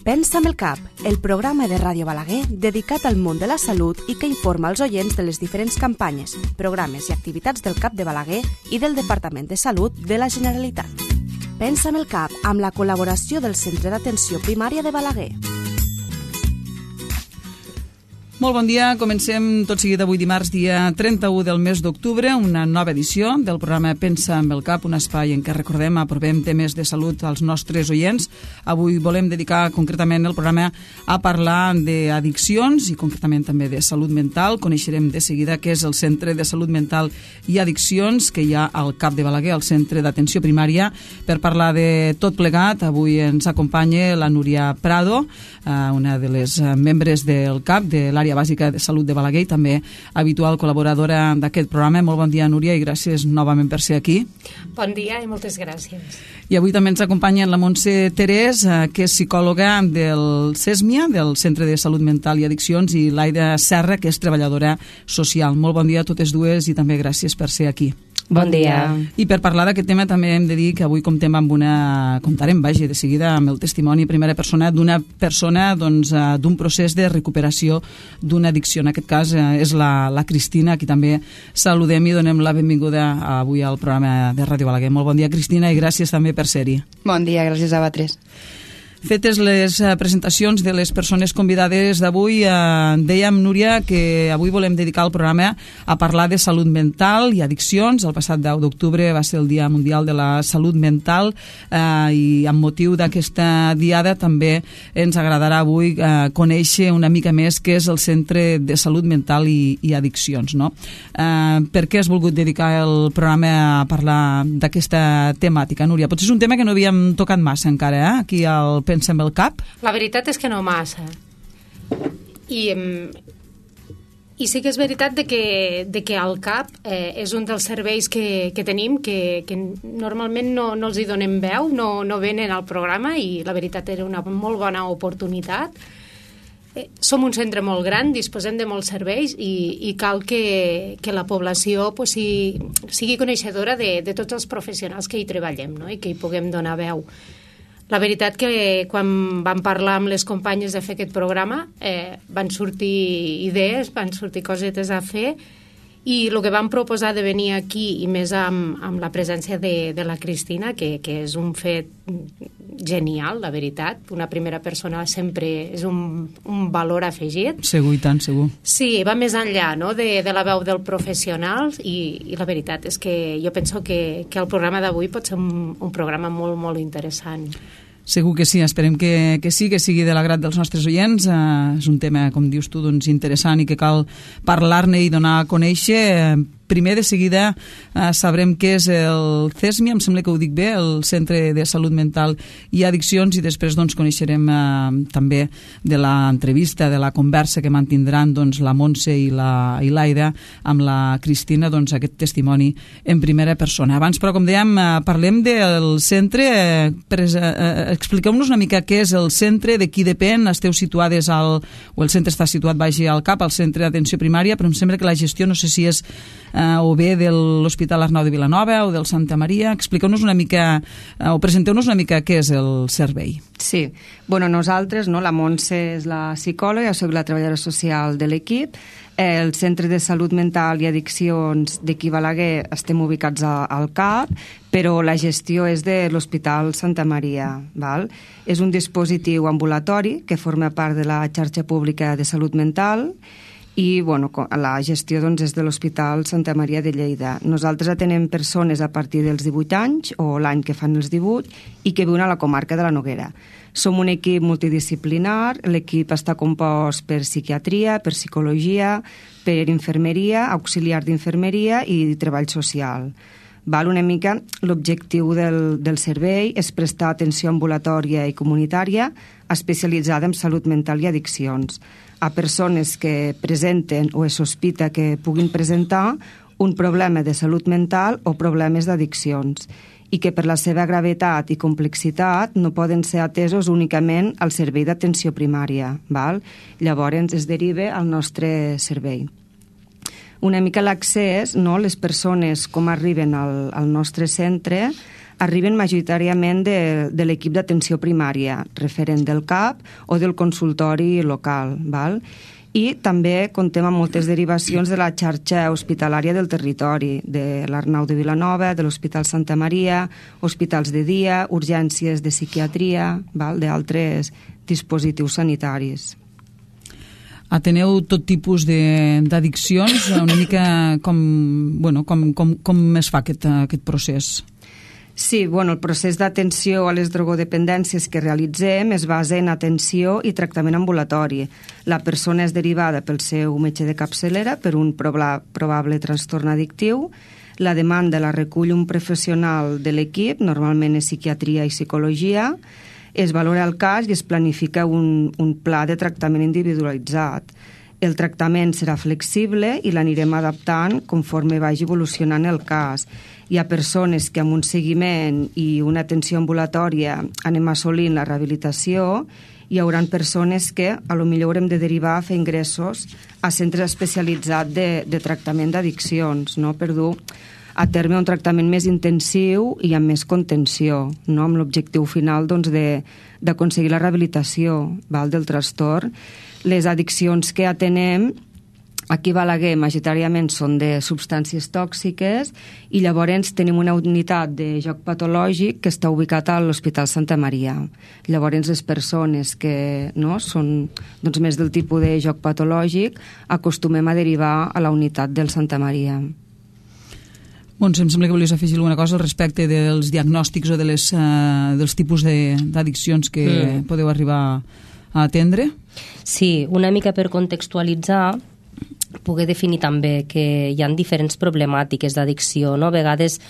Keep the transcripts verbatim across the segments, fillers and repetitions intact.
Pensa amb el cap, el programa de Ràdio Balaguer dedicat al món de la salut i que informa els oients de les diferents campanyes, programes i activitats del CAP de Balaguer i del Departament de Salut de la Generalitat. Pensa amb el cap, amb la col·laboració del Centre d'Atenció Primària de Balaguer. Molt bon dia, comencem tot seguit avui dimarts, dia trenta-u del mes d'octubre, una nova edició del programa Pensa amb el cap, un espai en què recordem, aprovem temes de salut als nostres oients. Avui volem dedicar concretament el programa a parlar d'addiccions i concretament també de salut mental. Coneixerem de seguida què és el Centre de Salut Mental i Addiccions que hi ha al CAP de Balaguer, al Centre d'Atenció Primària. Per parlar de tot plegat, avui ens acompanya la Núria Prado, una de les membres del CAP, de l'àrea bàsica de salut de Balaguer i també habitual col·laboradora d'aquest programa. Molt bon dia, Núria, i gràcies novament per ser aquí. Bon dia i moltes gràcies. I avui també ens acompanya la Montse Terés, que és psicòloga del CESMIA, del Centre de Salut Mental i Addiccions, i l'Aida Serra, que és treballadora social. Molt bon dia a totes dues i també gràcies per ser aquí. Bon dia. I per parlar d'aquest tema també hem de dir que avui comptem amb una, comptarem, vaja, de seguida amb el testimoni en primera persona d'una persona doncs, d'un procés de recuperació d'una addicció. En aquest cas és la, la Cristina, a qui també saludem i donem la benvinguda avui al programa de Ràdio Balaguer. Molt bon dia, Cristina, i gràcies també per ser-hi. Bon dia, gràcies a vosaltres. Fetes les presentacions de les persones convidades d'avui, eh, dèiem, Núria, que avui volem dedicar el programa a parlar de salut mental i addiccions. El passat deu d'octubre va ser el Dia Mundial de la Salut Mental eh, i amb motiu d'aquesta diada també ens agradarà avui eh, conèixer una mica més què és el Centre de Salut Mental i, i Addiccions. No? Eh, per què has volgut dedicar el programa a parlar d'aquesta temàtica, Núria? Potser és un tema que no havíem tocat massa encara, eh? Aquí al Pensa amb el cap? La veritat és que no massa. I, i sí que és veritat de que, de que el CAP eh, és un dels serveis que, que tenim que, que normalment no, no els hi donem veu, no, no venen al programa, i la veritat era una molt bona oportunitat. Eh, som un centre molt gran, disposem de molts serveis i, i cal que, que la població pues, si, sigui coneixedora de, de tots els professionals que hi treballem, no? I que hi puguem donar veu. La veritat que quan vam parlar amb les companyes de fer aquest programa eh, van sortir idees, van sortir cosetes a fer, i el que vam proposar de venir aquí, i més amb, amb la presència de, de la Cristina, que, que és un fet genial, la veritat. Una primera persona sempre és un, un valor afegit. Segur, i tant, segur. Sí, va més enllà, no?, de, de la veu del professional, i, i la veritat és que jo penso que, que el programa d'avui pot ser un, un programa molt, molt interessant. Segur que sí, esperem que, que sí, que sigui de l'agrat dels nostres oients. Uh, és un tema, com dius tu, doncs, interessant i que cal parlar-ne i donar a conèixer. Uh, primer, de seguida, uh, sabrem què és el CESMIA, em sembla que ho dic bé, el Centre de Salut Mental i Addiccions, i després doncs, coneixerem uh, també de l'entrevista, de la conversa que mantindran doncs, la Montse i la i l'Aida amb la Cristina, doncs, aquest testimoni en primera persona. Abans, però, com dèiem, uh, parlem del centre. Uh, pres, uh, expliqueu-nos una mica què és el centre, de qui depèn. Esteu situades al... o el centre està situat, vagi, al CAP, al Centre d'Atenció Primària, però em sembla que la gestió, no sé si és eh, o bé de l'Hospital Arnau de Vilanova o del Santa Maria. Expliqueu-nos una mica, eh, o presenteu-nos una mica què és el servei. Sí, bueno, nosaltres, no, la Montse és la psicòloga, jo soc la treballadora social de l'equip. El Centre de Salut Mental i Addiccions d'aquí Balaguer estem ubicats a, al CAP, però la gestió és de l'Hospital Santa Maria. Val? És un dispositiu ambulatori que forma part de la xarxa pública de salut mental, i bueno, la gestió doncs, és de l'Hospital Santa Maria de Lleida. Nosaltres atenem persones a partir dels divuit anys o l'any que fan els divuit i que viuen a la comarca de la Noguera. Som un equip multidisciplinar, l'equip està compost per psiquiatria, per psicologia, per infermeria, auxiliar d'infermeria i treball social. Val, una mica l'objectiu del, del servei és prestar atenció ambulatòria i comunitària especialitzada en salut mental i addiccions a persones que presenten o es sospita que puguin presentar un problema de salut mental o problemes d'addiccions i que per la seva gravetat i complexitat no poden ser atesos únicament al servei d'atenció primària. Val? Llavors es deriva al nostre servei. Una mica l'accés, no? Les persones com arriben al, al nostre centre arriben majoritàriament de, de l'equip d'atenció primària, referent del C A P o del consultori local, val? I també comptem amb moltes derivacions de la xarxa hospitalària del territori, de l'Arnau de Vilanova, de l'Hospital Santa Maria, hospitals de dia, urgències de psiquiatria, val? D'altres dispositius sanitaris. Ateneu tot tipus d'addiccions, una mica com, bueno, com, com, com es fa aquest, aquest procés? Sí, bueno, el procés d'atenció a les drogodependències que realitzem es basa en atenció i tractament ambulatori. La persona és derivada pel seu metge de capçalera per un probable trastorn addictiu. La demanda la recull un professional de l'equip, normalment és psiquiatria i psicologia. Es valora el cas i es planifica un, un pla de tractament individualitzat. El tractament serà flexible i l'anirem adaptant conforme vagi evolucionant el cas. Hi ha persones que amb un seguiment i una atenció ambulatòria anem assolint la rehabilitació, hi haurà persones que a lo millor haurem de derivar a fer ingressos a centres especialitzats de, de tractament d'addiccions, no? Per dur a terme un tractament més intensiu i amb més contenció, no? Amb l'objectiu final doncs, de, d'aconseguir la rehabilitació, val, del trastorn. Les addiccions que atenem aquí a Balaguer majoritàriament són de substàncies tòxiques i llavors tenim una unitat de joc patològic que està ubicat a l'Hospital Santa Maria. Llavors les persones que no, són doncs, més del tipus de joc patològic acostumem a derivar a la unitat del Santa Maria. Montse, em sembla que volies afegir alguna cosa al respecte dels diagnòstics o de les, uh, dels tipus d'addiccions que mm. podeu arribar a atendre? Sí, una mica per contextualitzar, poder definir també que hi ha diferents problemàtiques d'addicció, no? A vegades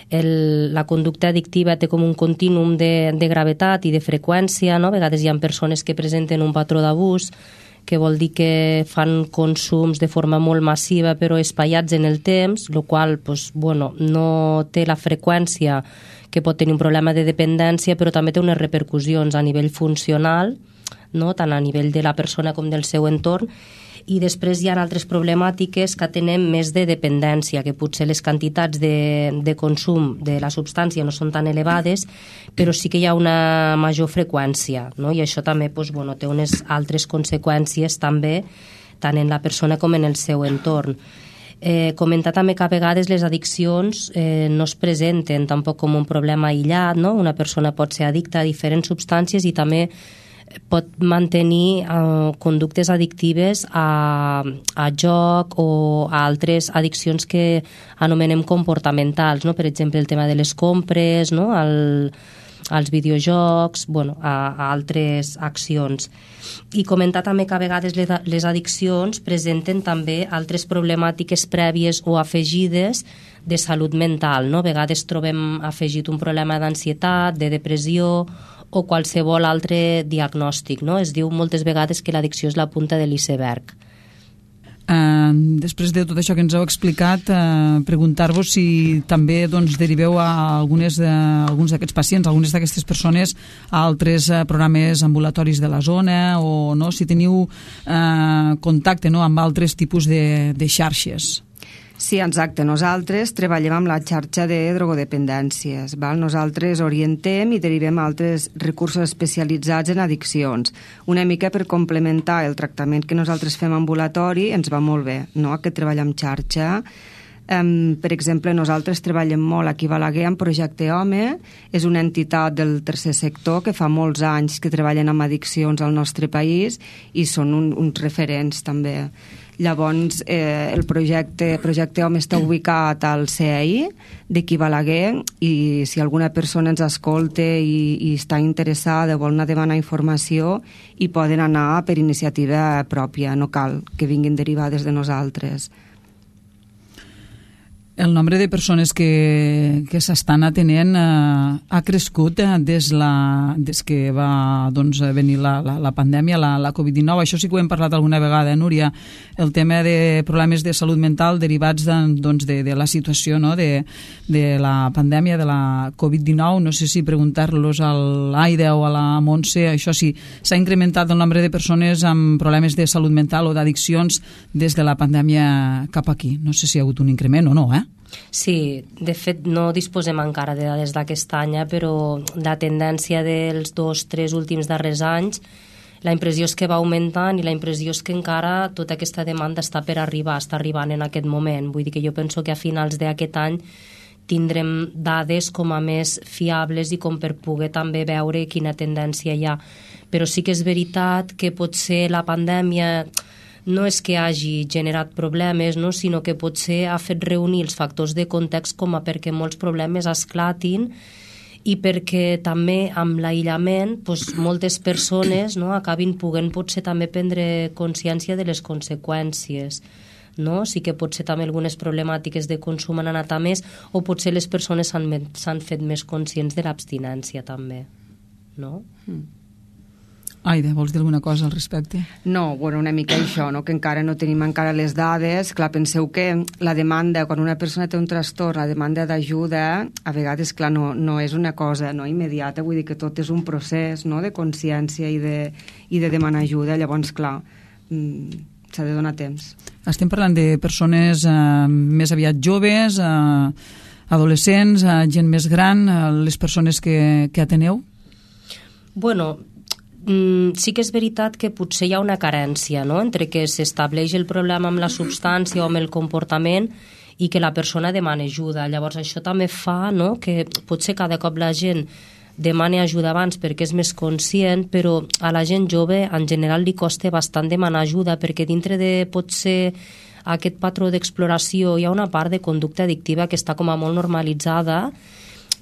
el, la conducta addictiva té com un contínuum de, de gravetat i de freqüència, no? A vegades hi ha persones que presenten un patró d'abús, que vol dir que fan consums de forma molt massiva però espaiats en el temps, el qual pues, bueno, no té la freqüència que pot tenir un problema de dependència, però també té unes repercussions a nivell funcional, no? Tant a nivell de la persona com del seu entorn. I després hi ha altres problemàtiques que tenen més de dependència, que potser les quantitats de, de consum de la substància no són tan elevades, però sí que hi ha una major freqüència, no? I això també doncs, bueno, té unes altres conseqüències també, tant en la persona com en el seu entorn. Eh, comentar també que a vegades les addiccions eh, no es presenten tampoc com un problema aïllat, no? Una persona pot ser addicta a diferents substàncies i també pot mantenir uh, conductes addictives a, a joc o a altres addiccions que anomenem comportamentals, no? Per exemple, el tema de les compres, no? El, als videojocs, bueno, a, a altres accions. I comentar també que a vegades les, les addiccions presenten també altres problemàtiques prèvies o afegides de salut mental, no? A vegades trobem afegit un problema d'ansietat, de depressió o qualsevol altre diagnòstic, no? Es diu moltes vegades que l'addicció és la punta de l'iceberg. Uh, després de tot això que ens heu explicat, uh, preguntar-vos si també doncs, deriveu a algunes, uh, alguns d'aquests pacients, algunes d'aquestes persones a altres uh, programes ambulatoris de la zona o no, si teniu uh, contacte, no, amb altres tipus de, de xarxes. Sí, exacte. Nosaltres treballem amb la xarxa de drogodependències. Val? Nosaltres orientem i derivem altres recursos especialitzats en addiccions. Una mica per complementar el tractament que nosaltres fem ambulatori ens va molt bé, no? Aquest treball amb xarxa. Um, per exemple, nosaltres treballem molt aquí a Balaguer amb Projecte Home. És una entitat del tercer sector que fa molts anys que treballen amb addiccions al nostre país i són un, uns referents també. Llavors, eh, el projecte, projecte Home està ubicat al C E I d'aquí Balaguer i si alguna persona ens escolta i, i està interessada o vol anar a demanar informació hi poden anar per iniciativa pròpia, no cal que vinguin derivades de nosaltres. El nombre de persones que, que s'estan atenent eh, ha crescut eh, des, la, des que va doncs, venir la, la, la pandèmia, la, la covid dinou. Això sí que ho hem parlat alguna vegada, eh, Núria? El tema de problemes de salut mental derivats de, doncs, de, de la situació, no? de, de la pandèmia, de la covid dinou. No sé si preguntar-los a l'Aida o a la Montse, això sí, s'ha incrementat el nombre de persones amb problemes de salut mental o d'addiccions des de la pandèmia cap aquí. No sé si hi ha hagut un increment o no, eh? Sí, de fet no disposem encara de dades d'aquest any, eh, però la tendència dels dos, tres últims darrers anys, la impressió és que va augmentant i la impressió és que encara tota aquesta demanda està per arribar, està arribant en aquest moment. Vull dir que jo penso que a finals d'aquest any tindrem dades com a més fiables i com per poder també veure quina tendència hi ha. Però sí que és veritat que potser la pandèmia no és que hagi generat problemes, no? Sinó que potser ha fet reunir els factors de context com a perquè molts problemes esclatin i perquè també amb l'aïllament doncs, moltes persones no, acabin podent potser també prendre consciència de les conseqüències. No? Sí que potser també algunes problemàtiques de consum han anat a més o potser les persones s'han fet més conscients de l'abstinència també. No? Mm. Aida, vols dir alguna cosa al respecte? No, bueno, una mica això, no? Que encara no tenim encara les dades. Clar, penseu que la demanda, quan una persona té un trastorn, la demanda d'ajuda, a vegades, clar, no, no és una cosa no, immediata, vull dir que tot és un procés no? De consciència i de, i de demanar ajuda. Llavors, clar, s'ha de donar temps. Estem parlant de persones eh, més aviat joves, eh, adolescents, eh, gent més gran, eh, les persones que, que ateneu? Bueno, Mm, sí que és veritat que potser hi ha una carència no? Entre que s'estableix el problema amb la substància o amb el comportament i que la persona demana ajuda. Llavors això també fa no? Que potser cada cop la gent demani ajuda abans perquè és més conscient, però a la gent jove en general li costa bastant demanar ajuda perquè dintre de potser aquest patró d'exploració hi ha una part de conducta addictiva que està com a molt normalitzada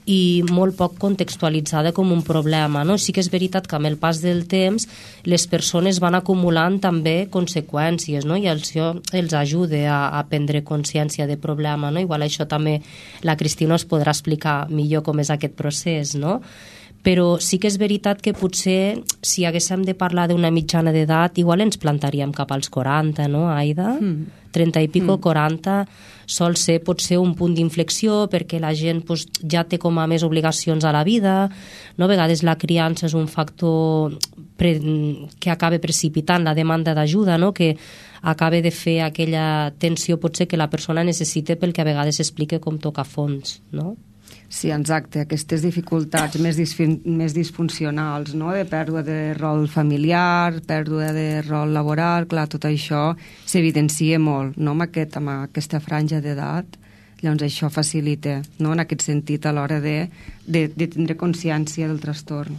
i molt poc contextualitzada com un problema. No? Sí que és veritat que amb el pas del temps les persones van acumulant també conseqüències no? I això els ajuda a, a prendre consciència de problema. No? Igual això també la Cristina us podrà explicar millor com és aquest procés, no? Però sí que és veritat que potser si haguéssim de parlar d'una mitjana d'edat igual ens plantaríem cap als quaranta, no, Aida? Mm. trenta i pico, mm. quaranta sol ser potser un punt d'inflexió perquè la gent pues, ja té com a més obligacions a la vida, no? A vegades la criança és un factor pre que acaba precipitant la demanda d'ajuda, no? Que acaba de fer aquella tensió potser que la persona necessita pel que a vegades explica com toca fons, no? Sí, exacte, aquestes dificultats més, més disfuncionals, no? De pèrdua de rol familiar, pèrdua de rol laboral, clar, tot això s'evidencia molt, no? Amb, aquest, amb aquesta franja d'edat, llavors això facilita, no? En aquest sentit, a l'hora de, de, de tindre consciència del trastorn.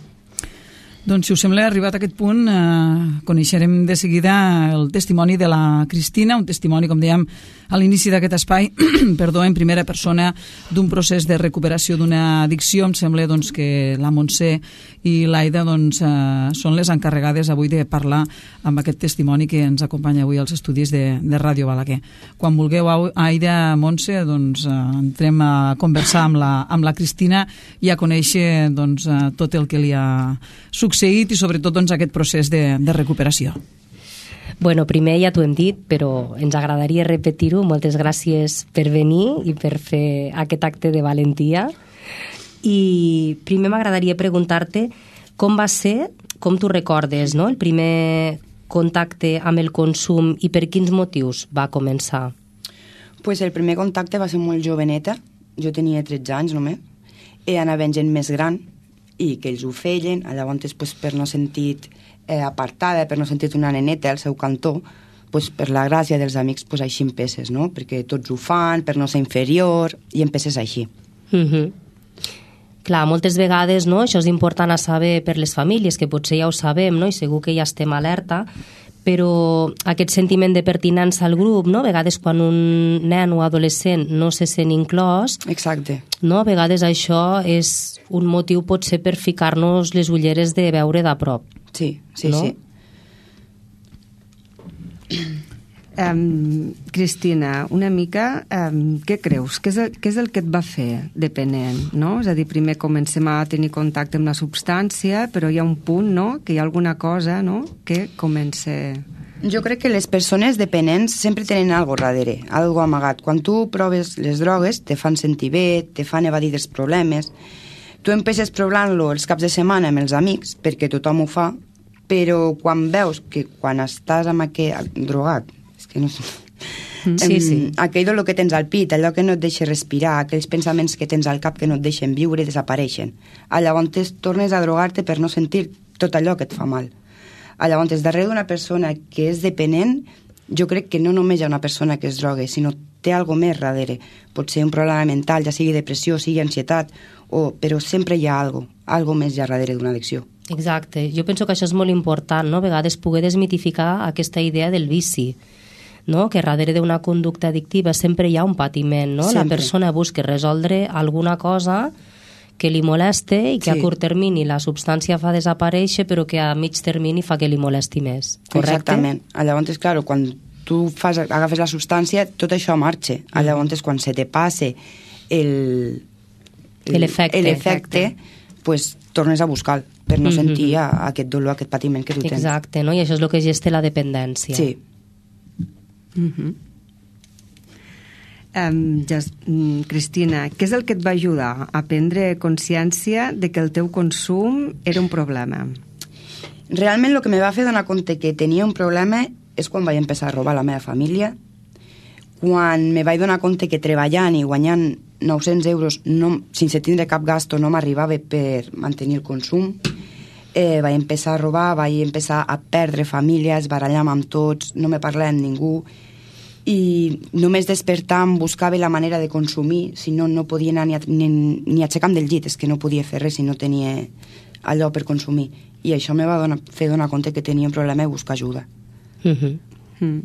Doncs, si us sembla, arribat a aquest punt, eh, coneixerem de seguida el testimoni de la Cristina, un testimoni, com dèiem, a l'inici d'aquest espai, perdó, en primera persona, d'un procés de recuperació d'una addicció. Em sembla doncs, que la Montse i l'Aida doncs, eh, són les encarregades avui de parlar amb aquest testimoni que ens acompanya avui als estudis de, de Ràdio Balaguer. Quan vulgueu, Aida, Montse, doncs, eh, entrem a conversar amb la, amb la Cristina i a conèixer doncs, eh, tot el que li ha succeït i sobretot doncs, aquest procés de, de recuperació. Bueno, primer ja t'ho hem dit, però ens agradaria repetir-ho. Moltes gràcies per venir i per fer aquest acte de valentia. I primer m'agradaria preguntar-te com va ser, com tu recordes, no? El primer contacte amb el consum i per quins motius va començar? Pues el primer contacte va ser molt joveneta, jo tenia tretze anys només, i anava gent més gran i que ells ho feien, llavors pues, per no sentir eh, apartada, per no sentir una neneta al seu cantó, pues, per la gràcia dels amics pues, així empesses, no? Perquè tots ho fan, per no ser inferior, i empesses així. Mm-hmm. Clar, moltes vegades no, això és important a saber per les famílies, que potser ja ho sabem, no? I segur que ja estem alerta, però aquest sentiment de pertinença al grup, no? A vegades quan un nen o adolescent no se sent inclòs, exacte, no? A vegades això és un motiu potser per ficar-nos les ulleres de veure de prop. Sí, sí, no? Sí. Um, Cristina, una mica, um, què creus? Què és, el, què és el que et va fer dependent? No? És a dir, primer comencem a tenir contacte amb la substància, però hi ha un punt, no?, que hi ha alguna cosa, no?, que comença... Jo crec que les persones dependents sempre tenen algo darrere, algo amagat. Quan tu proves les drogues, te fan sentir bé, te fan evadir dels problemes. Tu empeixes provant-lo els caps de setmana amb els amics, perquè tothom ho fa, però quan veus que quan estàs amb aquest drogat, és que no sé, Sí, sí. Aquell dolor que tens al pit, allò que no et deixa respirar, aquells pensaments que tens al cap que no et deixen viure, desapareixen. Llavors tornes a drogar-te per no sentir tot allò que et fa mal. Llavors, darrere d'una persona que és dependent, jo crec que no només hi ha una persona que es droga, sinó té alguna més darrere. Pot ser un problema mental, ja sigui depressió, sigui ansietat, o, però sempre hi ha alguna cosa, alguna més hi ha darrere d'una addicció. Exacte. Jo penso que això és molt important, no? A vegades poder desmitificar aquesta idea del vici, no? Que darrere d'una conducta addictiva sempre hi ha un patiment, no? Sempre. La persona busca resoldre alguna cosa que li moleste i que sí. A curt termini la substància fa desaparèixer, però que a mig termini fa que li molesti més. Correcte? Exactament. Llavors, clar, quan tu fas, agafes la substància, tot això marxa. Mm. Llavors, quan se te passe el... L'efecte. L'efecte, pues, tornes a buscar per no mm-hmm. sentir aquest dolor, aquest patiment que tu tens. Exacte, no? I això és el que gesta la dependència. Sí. Mm-hmm. um, just, um, Cristina, què és el que et va ajudar a prendre consciència de que el teu consum era un problema? Realment el que me va fer donar compte que tenia un problema és quan vaig empezar a robar la meva família, quan me vaig donar compte que treballant i guanyant nou-cents euros no, sense tindre cap gasto no m'arribava per mantenir el consum. Eh, vaig empezar a robar, vaig empezar a perdre famílies, barallar-me amb tots, no me parlava amb ningú i només despertant buscava la manera de consumir, si no, no podia anar ni, a, ni, ni aixecar-me del llit, és que no podia fer res si no tenia allò per consumir. I això me va donar, fer donar compte que tenia un problema i buscar ajuda. Mm-hmm. Mm.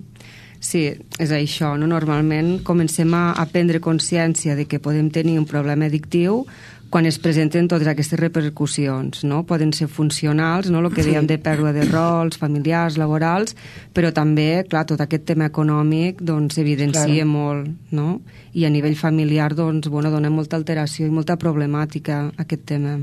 Sí, és això, no? Normalment comencem a, a prendre consciència de que podem tenir un problema addictiu quan es presenten totes aquestes repercussions, no? Poden ser funcionals, no? El que dèiem de pèrdua de rols, familiars, laborals, però també, clar, tot aquest tema econòmic doncs evidencia claro. Molt, no? I a nivell familiar, doncs, bueno, dona molta alteració i molta problemàtica aquest tema.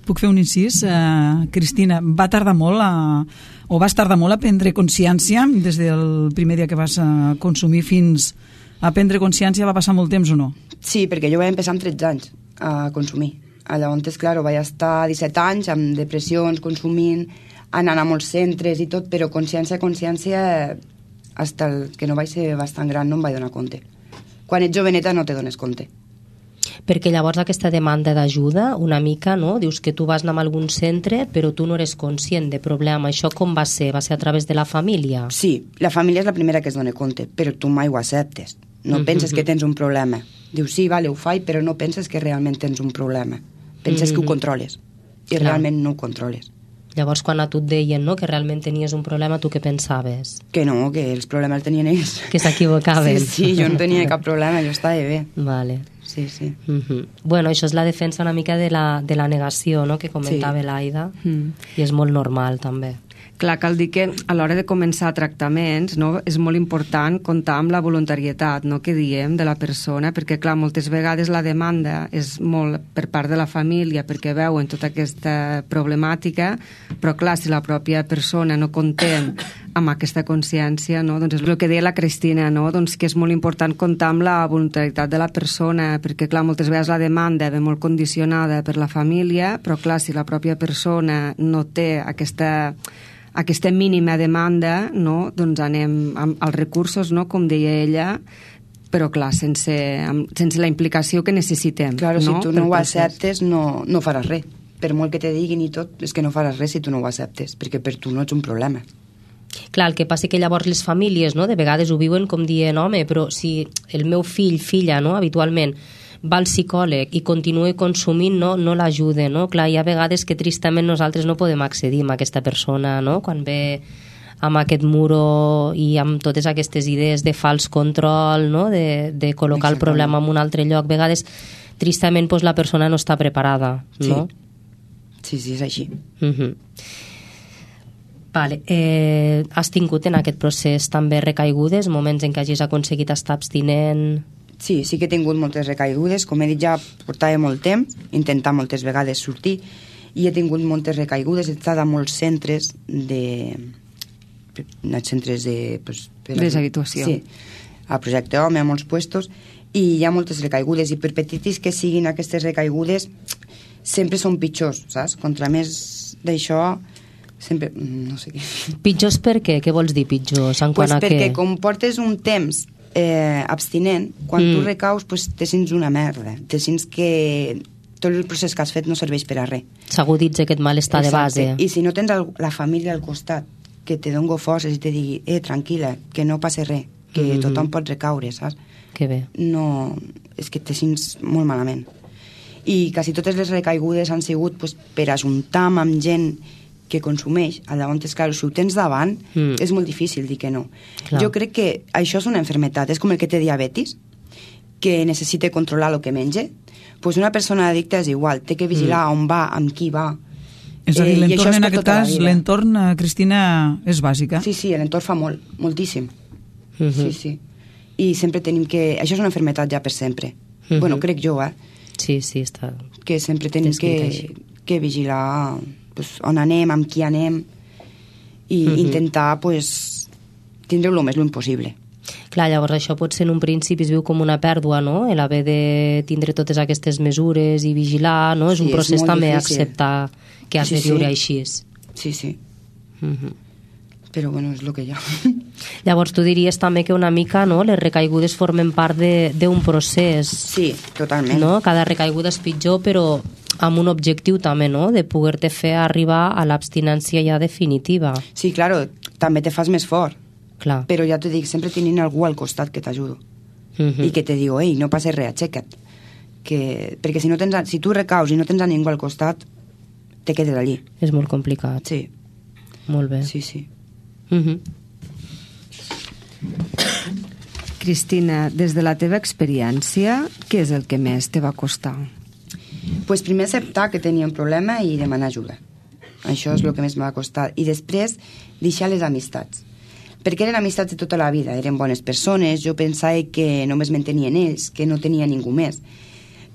Puc fer un incís? Uh, Cristina, va tardar molt a, o vas tardar molt a prendre consciència des del primer dia que vas uh, consumir fins a prendre consciència? Va passar molt temps o no? Sí, perquè jo vaig empezar amb tretze anys a consumir. Llavors, clar, vaig estar disset anys amb depressions, consumint, anant a molts centres i tot, però consciència, consciència, fins que no vaig ser bastant gran no em vaig donar compte. Quan ets joveneta no te dones compte. Perquè llavors aquesta demanda d'ajuda, una mica, no? Dius que tu vas anar a algun centre, però tu no eres conscient de problema. Això com va ser? Va ser a través de la família? Sí, la família és la primera que es dona compte, però tu mai ho acceptes. No mm-hmm. penses que tens un problema. Dius, sí, vale, ho faig, però no penses que realment tens un problema. Penses mm-hmm. que ho controles. I Clar. realment no ho controles. Llavors, quan a tu et deien, no?, que realment tenies un problema, tu què pensaves? Que no, que els problemes els tenien ells. Que s'equivocaven. Sí, sí, jo no tenia cap problema, jo estava bé. Vale. Sí, sí. Mm-hmm. Bueno, això és la defensa una mica de la, de la negació, no?, que comentava sí. l'Aida, mm. i és molt normal, també. Clar, cal dir que a l'hora de començar tractaments, no, és molt important comptar amb la voluntarietat, no, que diem, de la persona, perquè, clar, moltes vegades la demanda és molt per part de la família perquè veuen tota aquesta problemàtica, però, clar, si la pròpia persona no contem amb aquesta consciència, no, doncs és el que deia la Cristina, no, doncs que és molt important comptar amb la voluntarietat de la persona, perquè, clar, moltes vegades la demanda ve molt condicionada per la família, però, clar, si la pròpia persona no té aquesta aquesta mínima demanda, no, doncs anem amb els recursos, no, com deia ella, però clar, sense, sense la implicació que necessitem. Claro, no? Si tu no ho acceptes no, no faràs res. Per molt que te diguin i tot, és que no faràs res si tu no ho acceptes, perquè per tu no ets un problema. Clar, el que passa que llavors les famílies, no, de vegades ho viuen com dient, home, però si el meu fill, filla, no, habitualment va al psicòleg i continua consumint, no, no l'ajuda, no? Clar, hi ha vegades que tristament nosaltres no podem accedir a aquesta persona, no? Quan ve amb aquest muro i amb totes aquestes idees de fals control, no? De, de col·locar el problema en un altre lloc. A vegades, tristament, doncs, la persona no està preparada, no? Sí, sí, sí, és així. Uh-huh. Vale. Eh, has tingut en aquest procés també recaigudes, moments en què hagis aconseguit estar abstinent? Sí, sí que he tingut moltes recaigudes. Com he dit, ja portava molt temps, intentar moltes vegades sortir, i he tingut moltes recaigudes. He estat a molts centres de... centres de... Pues, deshabituació. Sí, a Projecte Home, a molts puestos, i hi ha moltes recaigudes, i per petitis que siguin aquestes recaigudes, sempre són pitjors, saps? Contra més d'això, sempre... no sé què... Pitjors per què? Què vols dir pitjors? En pues quant a perquè què? com portes un temps eh, abstinent, quan Mm. tu recaus pues, te sents una merda, te sents que tot el procés que has fet no serveix per a res. S'aguditza aquest malestar de base. I si no tens el, la família al costat que te dongo forces i te digui, eh, tranquil·la, que no passa res, que Mhm. tothom pot recaure, saps? Que bé. No, és que te sents molt malament. I quasi totes les recaigudes han sigut pues, per ajuntar amb gent que consumeix. Llavors, clar, si ho tens davant, Mm. és molt difícil dir que no. Clar. Jo crec que això és una enfermetat, és com el que té diabetis, que necessita controlar el que menja. Pues una persona addicta és igual, té que vigilar Mm. on va, amb qui va. És a dir, Eh, i això l'entorn és en per aquest tota la cas, vida. l'entorn, eh, Cristina, és bàsica. Sí, sí, l'entorn fa molt, moltíssim. Mhm. Sí, sí. I sempre tenim que... Això és una enfermetat ja per sempre. Mhm. Bueno, crec jo, eh? Sí, sí, està... Que sempre tenim Descrit que, així. que vigilar pues, on anem, amb qui anem i Mhm. intentar pues, tindre-ho el més lluny possible. Clar, llavors això pot ser en un principi es viu com una pèrdua, no? El haver de tindre totes aquestes mesures i vigilar, no? És Sí, un és procés molt també difícil. acceptar que has Sí, de sí. viure així. Sí, sí. Mhm. Però bueno, és el que hi ha. Llavors tu diries també que una mica, no?, les recaigudes formen part de- d'un procés, Sí, totalment. no? Cada recaiguda és pitjor, però amb un objectiu també, no?, de poder-te fer arribar a l'abstinència ja definitiva. Sí, claro, també te fas més fort. Clar. Però ja t'ho dic, sempre tenint algú al costat que t'ajudo. Mhm. I que te diu, ei, no passa res, aixeca't. Que... Perquè si, no tens a... si tu recaus i no tens a ningú al costat, te quedes allí. És molt complicat. Sí, Molt bé. sí, sí. Mhm. Cristina, des de la teva experiència, què és el que més te va costar? Pues primer acceptar que tenia un problema i demanar ajuda. Això és el que més em va costar. I després, deixar les amistats. Perquè eren amistats de tota la vida, eren bones persones, jo pensava que només m'entenien ells, que no tenia ningú més.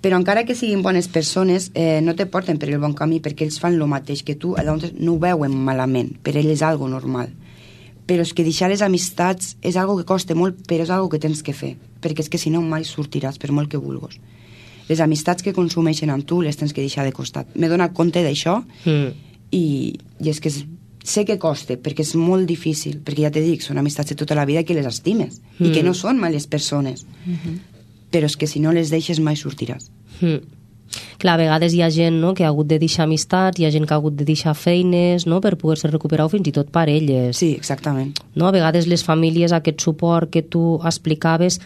Però encara que siguin bones persones, eh, no te porten per el bon camí perquè ells fan el mateix que tu, llavors no ho veuen malament, per ells és algo normal. Però és que deixar les amistats és algo que costa molt, però és algo que tens que fer, perquè és que si no mai sortiràs, per molt que vulguis. Les amistats que consumeixen amb tu les tens que deixar de costat. M'he donat compte d'això Mm. i, i és que és, sé que costa, perquè és molt difícil, perquè ja t'he dit, són amistats de tota la vida que les estimes Mm. i que no són males persones. Mhm. Però és que si no les deixes mai sortiràs. Mm. Clar, a vegades hi ha gent, no?, que ha hagut de deixar amistats, hi ha gent que ha hagut de deixar feines, no?, per poder-se recuperar o fins i tot parelles. Sí, exactament. No? A vegades les famílies aquest suport que tu explicaves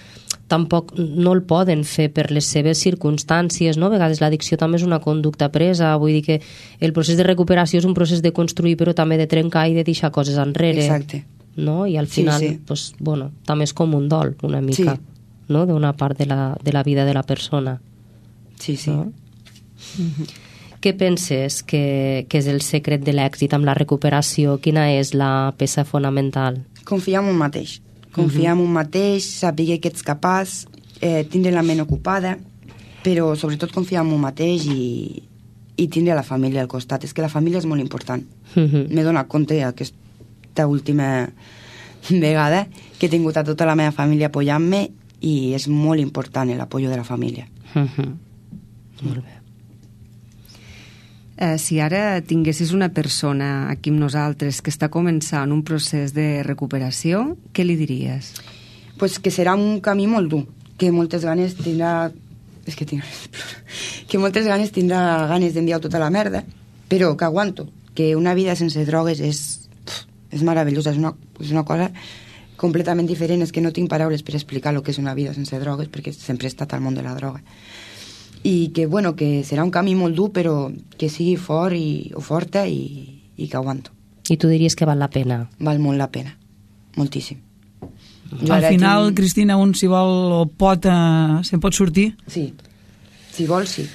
tampoc no el poden fer per les seves circumstàncies, no? A vegades l'addicció també és una conducta presa, vull dir que el procés de recuperació és un procés de construir però també de trencar i de deixar coses enrere. Exacte. No? I al Sí, final, sí. pues, bueno, també és com un dol una mica, Sí. no?, d'una part de la, de la vida de la persona. Sí, sí. No? Què penses que, que és el secret de l'èxit amb la recuperació? Quina és la peça fonamental? Confiar en un mateix. Confiar en un mateix, saber que ets capaç, eh, tindre la ment ocupada, però sobretot confiar en un mateix i, i tindre la família al costat. És que la família és molt important. Mhm. M'he donat compte aquesta última vegada que he tingut a tota la meva família apoyant-me i és molt important l'apoyo de la família. Mhm. Molt bé. Eh, si ara tinguessis una persona aquí amb nosaltres que està començant un procés de recuperació, què li diries? Pues que serà un camí molt dur, que moltes ganes tindrà... És que tinc... que moltes ganes tindrà ganes d'enviar tota la merda, però que aguanto, que una vida sense drogues és, és meravellosa, és una, és una cosa completament diferent, és que no tinc paraules per explicar el que és una vida sense drogues, perquè sempre he estat al món de la droga. I que, bueno, que serà un camí molt dur, però que sigui fort i, o forta i, i que aguanto. I tu diries que val la pena? Val molt la pena, moltíssim. Jo Al ara final, tinc- Cristina, un si vol o pot, eh, se'n pot sortir. Sí, si vols sí,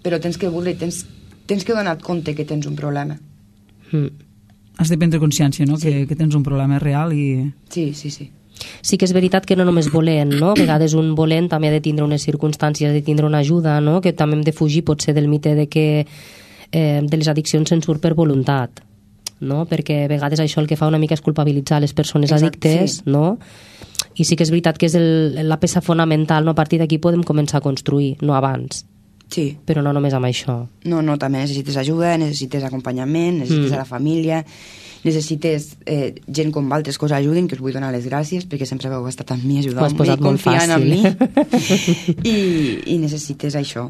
però tens que voler, tens, tens que donar compte que tens un problema. Mm. Has de prendre consciència, no?, Sí. que, que tens un problema real i... Sí, sí, sí. Sí que és veritat que no només volent, no? A vegades un volent també ha de tindre unes circumstàncies, ha de tindre una ajuda, no? Que també hem de fugir potser del mite de que eh, de les addiccions se'n surt per voluntat, no? Perquè a vegades això el que fa una mica és culpabilitzar les persones Exacte, addictes, sí. no? I sí que és veritat que és el, la peça fonamental, no? A partir d'aquí podem començar a construir, no abans. Sí. Però no només amb això. No, no, també necessites ajuda, necessites acompanyament, necessites mm. a la família, necessites eh, gent com altres que us ajudin, que us vull donar les gràcies, perquè sempre heu estat amb mi, ajudant-me i confiant en mi. I, I necessites això.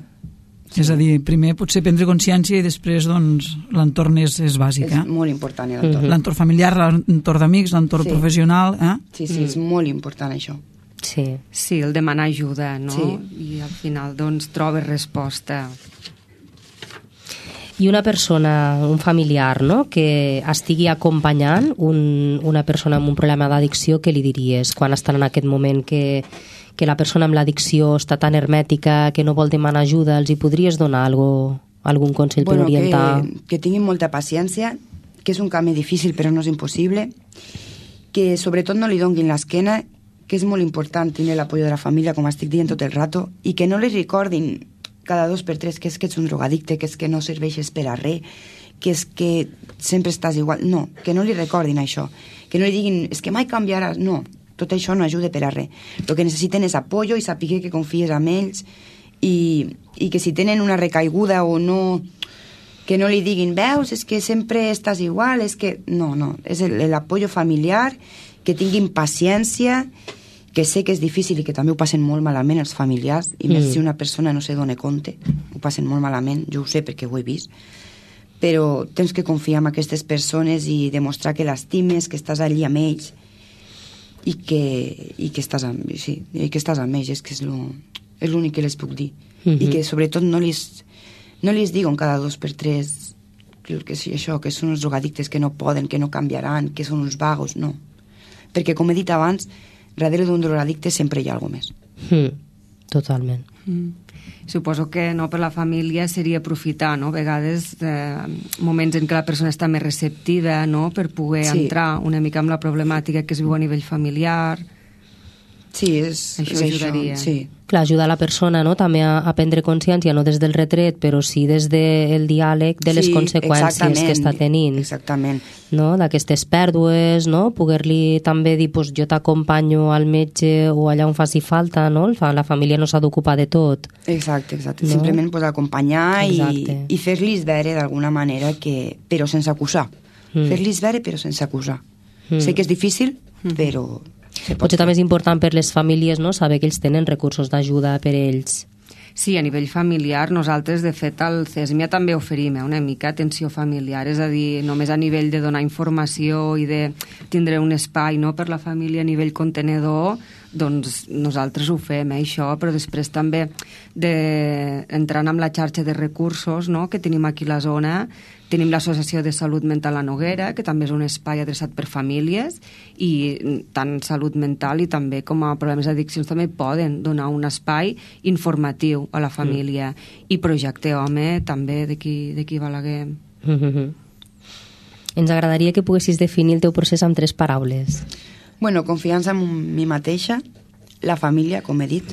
Sí. És a dir, primer potser prendre consciència i després doncs, l'entorn és, és bàsic. És eh? molt important l'entorn. Mm-hmm. L'entorn familiar, l'entorn d'amics, l'entorn sí. professional. Eh? Sí, sí, mm. és molt important això. Sí. Sí, el demanar ajuda, no? Sí. I al final doncs trobes resposta. I una persona, un familiar, no?, que estigui acompanyant un, una persona amb un problema d'addicció, què li diries quan estan en aquest moment que que la persona amb l'addicció està tan hermètica que no vol demanar ajuda, els hi podries donar algo, algun consell bueno, per orientar? Que, que tinguin molta paciència, que és un camí difícil però no és impossible, que sobretot no li donguin l'esquena, que és molt important tenir l'apoyo de la família, com estic dient tot el rato, i que no li recordin cada dos per tres que és que ets un drogadicte, que és que no serveixes per a res, que és que sempre estàs igual. No, que no li recordin això, que no li diguin, és que mai canviaràs, no. Tot això no ajuda per a res. El que necessiten és apoyo i saber que confies en ells i, i que si tenen una recaiguda o no, que no li diguin, veus, és que sempre estàs igual, és que... No, no, és l'apoyo familiar, que tinguin paciència, que sé que és difícil i que també ho passen molt malament els familiars, i més mm. si una persona no se dona compte, ho passen molt malament, jo ho sé perquè ho he vist, però tens que confiar en aquestes persones i demostrar que l'estimes, que estàs allí amb ells, i que, i que estàs amb, sí, i que estàs amb ells, és que és l'únic que les puc dir. Mm-hmm. I que sobretot no li no les diuen cada dos per tres que sí, això, que són uns drogadictes que no poden, que no canviaran, que són uns vagos, no. Perquè, com he dit abans, darrere d'un drogadicte sempre hi ha alguna més. Mm, totalment. Mm. Suposo que no per la família seria aprofitar, no? A vegades eh, moments en què la persona està més receptiva, no?, per poder sí. entrar una mica amb la problemàtica que es viu a nivell familiar. Sí, és, això és ajudaria. Això, sí. Clar, ajudar la persona, no?, també a, a prendre consciència, no des del retret, però sí des del diàleg de les sí, conseqüències que està tenint. Exactament. No?, d'aquestes pèrdues, no?, poder-li també dir, pues, jo t'acompanyo al metge o allà on faci falta, no?, la família no s'ha d'ocupar de tot. Exacte, exacte. No? Simplement pues, acompanyar i, i fer-los veure d'alguna manera que... però sense acusar. Mm. Fer-los veure però sense acusar. Mm. Sé que és difícil, mm. però... Potser també és important per les famílies, no?, saber que ells tenen recursos d'ajuda per ells. Sí, a nivell familiar, nosaltres, de fet, al CESMIA també oferim eh, una mica atenció familiar, és a dir, només a nivell de donar informació i de tindre un espai, no?, per la família a nivell contenedor, doncs nosaltres ho fem, eh, això, però després també de, entrant amb la xarxa de recursos, no?, que tenim aquí a la zona. Tenim l'Associació de Salut Mental La Noguera, que també és un espai adreçat per famílies, i tant salut mental i també com a problemes d'addiccions també poden donar un espai informatiu a la família. Mm. I Projecte Home també d'aquí Balaguer. Mm-hmm. Ens agradaria que poguessis definir el teu procés amb tres paraules. Bueno, confiança en mi mateixa, la família, com he dit,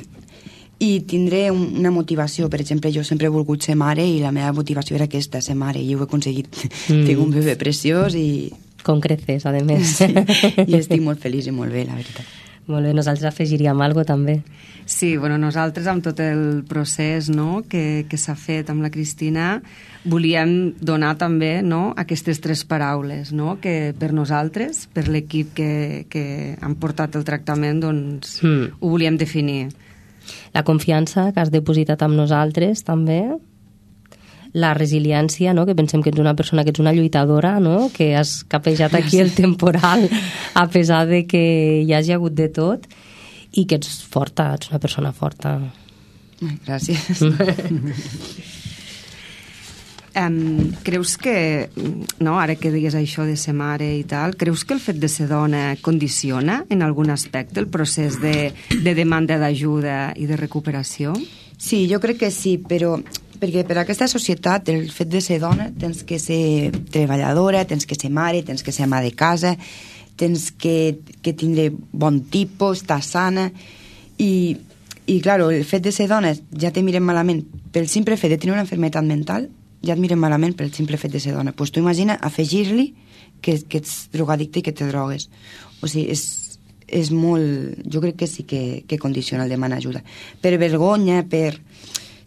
i tindré una motivació. Per exemple, jo sempre he volgut ser mare i la meva motivació era aquesta, ser mare, i ho he aconseguit. Mm. Tinc un bebè preciós i... Com creces, a més. Sí, i estic molt feliç i molt bé, la veritat. Molt bé, nosaltres afegiríem alguna cosa també. Sí, bueno, nosaltres amb tot el procés, no?, que, que s'ha fet amb la Cristina, volíem donar també, no?, aquestes tres paraules, no?, que per nosaltres, per l'equip que, que han portat el tractament, doncs mm. ho volíem definir. La confiança que has depositat amb nosaltres, també. La resiliència, no?, que pensem que ets una persona que ets una lluitadora, no?, que has capejat aquí el temporal a pesar de que hi hagi hagut de tot, i que ets forta, ets una persona forta. Gràcies. Um, creus que, no, ara que digues això de ser mare i tal, creus que el fet de ser dona condiciona en algun aspecte el procés de, de demanda d'ajuda i de recuperació? Sí, jo crec que sí, però perquè per aquesta societat el fet de ser dona tens que ser treballadora, tens que ser mare, tens que ser ama de casa, tens que, que tindre bon tipus, estar sana, i, i clar, el fet de ser dona ja te miren malament pel simple fet de tenir una malaltia mental, ja et miren malament pel simple fet de ser dona. Pues tu imagina afegir-li que, que ets drogadicte i que te drogues. O sigui, és, és molt... Jo crec que sí que, que condiciona el demanar ajuda. Per vergonya, per...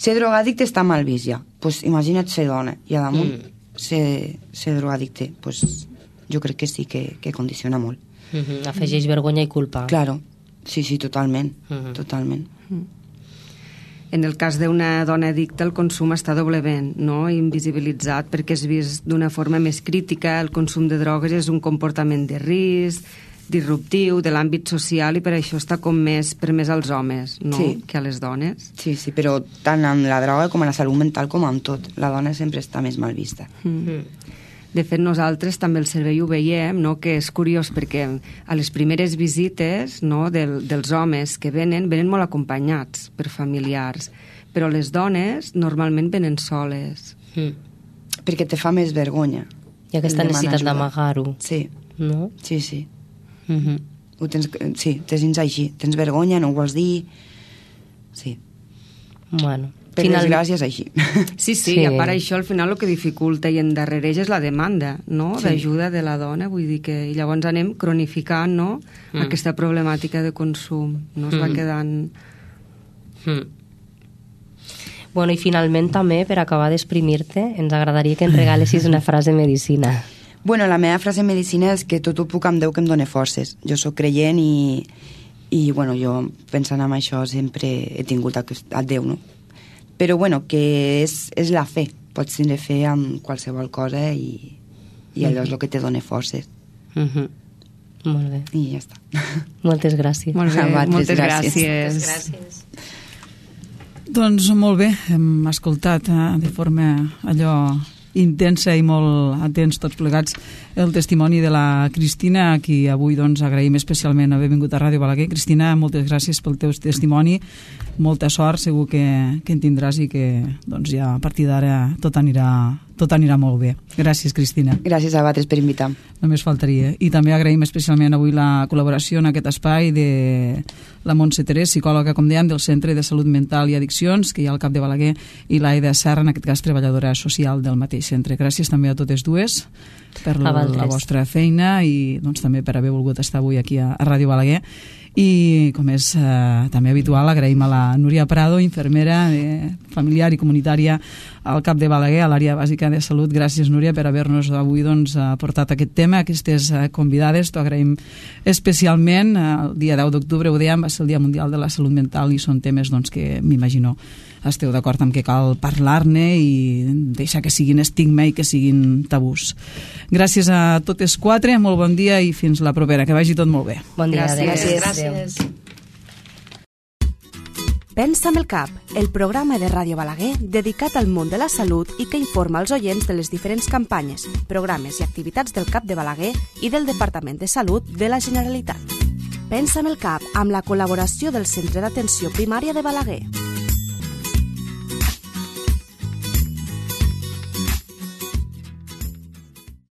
ser drogadicte està mal vist ja. Pues imagina't ser dona i a damunt mm. ser, ser drogadicte. Pues jo crec que sí que, que condiciona molt. Mm-hmm. Afegeix vergonya i culpa. Claro, sí, sí, totalment. Mm-hmm. Totalment. Mm. En el cas d'una dona addicta, el consum està doblement, no?, invisibilitzat perquè és vist d'una forma més crítica. El consum de drogues és un comportament de risc, disruptiu, de l'àmbit social, i per això està com més permès als homes, no?, sí, que a les dones. Sí, sí, però tant amb la droga com amb la salut mental com amb tot. La dona sempre està més mal vista. Mm. De fet, nosaltres també el servei ho veiem, no?, que és curiós perquè a les primeres visites, no?, del, dels homes que venen, venen molt acompanyats per familiars, però les dones normalment venen soles. Mm. Perquè te fa més vergonya. I aquesta necessitat d'amagar-ho. Sí. No? Sí, sí. Mm-hmm. Ho tens, sí, te sents així. Tens vergonya, no ho vols dir... Sí. Bueno... Per Final... desgràcia és així. Sí, sí, sí, i a part això al final el que dificulta i endarrereix és la demanda, no?, sí, d'ajuda de la dona, vull dir que... I llavors anem cronificant, no?, mm. aquesta problemàtica de consum, no es mm. va quedant... Mm. Bueno, i finalment també, per acabar d'exprimir-te, ens agradaria que ens regalessis una frase medicina. Bueno, la meva frase medicina és que tot ho puc amb Déu que em dóna forces. Jo sóc creient i, i bueno, jo pensant en això sempre he tingut a, a Déu, no? Però bueno, que és, és la fe. Pots tindre fe amb qualsevol cosa i, i allò és el que te dona forces. Mm-hmm. Molt bé. I ja està. Moltes gràcies. Molt bé, moltes, moltes gràcies. gràcies. Moltes gràcies. Doncs molt bé, hem escoltat eh, de forma allò intensa i molt atents tots plegats el testimoni de la Cristina, a qui avui doncs, agraïm especialment haver vingut a Ràdio Balaguer. Cristina, moltes gràcies pel teu testimoni, molta sort, segur que, que en tindràs i que doncs, ja a partir d'ara tot anirà, tot anirà molt bé. Gràcies, Cristina. Gràcies a vosaltres per invitar. Només faltaria. I també agraïm especialment avui la col·laboració en aquest espai de la Montse Terés, psicòloga, com dèiem, del Centre de Salut Mental i Addiccions, que hi ha al cap de Balaguer, i l'Aida Serra, en aquest cas treballadora social del mateix centre. Gràcies també a totes dues per la, la vostra feina i doncs, també per haver volgut estar avui aquí a, a Ràdio Balaguer. I, com és eh, també habitual, agraïm a la Núria Prado, infermera eh, familiar i comunitària al cap de Balaguer, a l'àrea bàsica de salut. Gràcies, Núria, per haver-nos avui doncs, portat aquest tema, aquestes eh, convidades. T'ho agraïm especialment. El dia deu d'octubre, ho dèiem, va ser el Dia Mundial de la Salut Mental i són temes doncs, que m'imagino esteu d'acord amb que cal parlar-ne i deixar que siguin estigma i que siguin tabús. Gràcies a totes quatre, molt bon dia i fins la propera. Que vagi tot molt bé. Bon dia. Gràcies. Gràcies. Pensa amb el cap, el programa de Ràdio Balaguer dedicat al món de la salut i que informa els oients de les diferents campanyes, programes i activitats del CAP de Balaguer i del Departament de Salut de la Generalitat. Pensa amb el cap, amb la col·laboració del Centre d'Atenció Primària de Balaguer.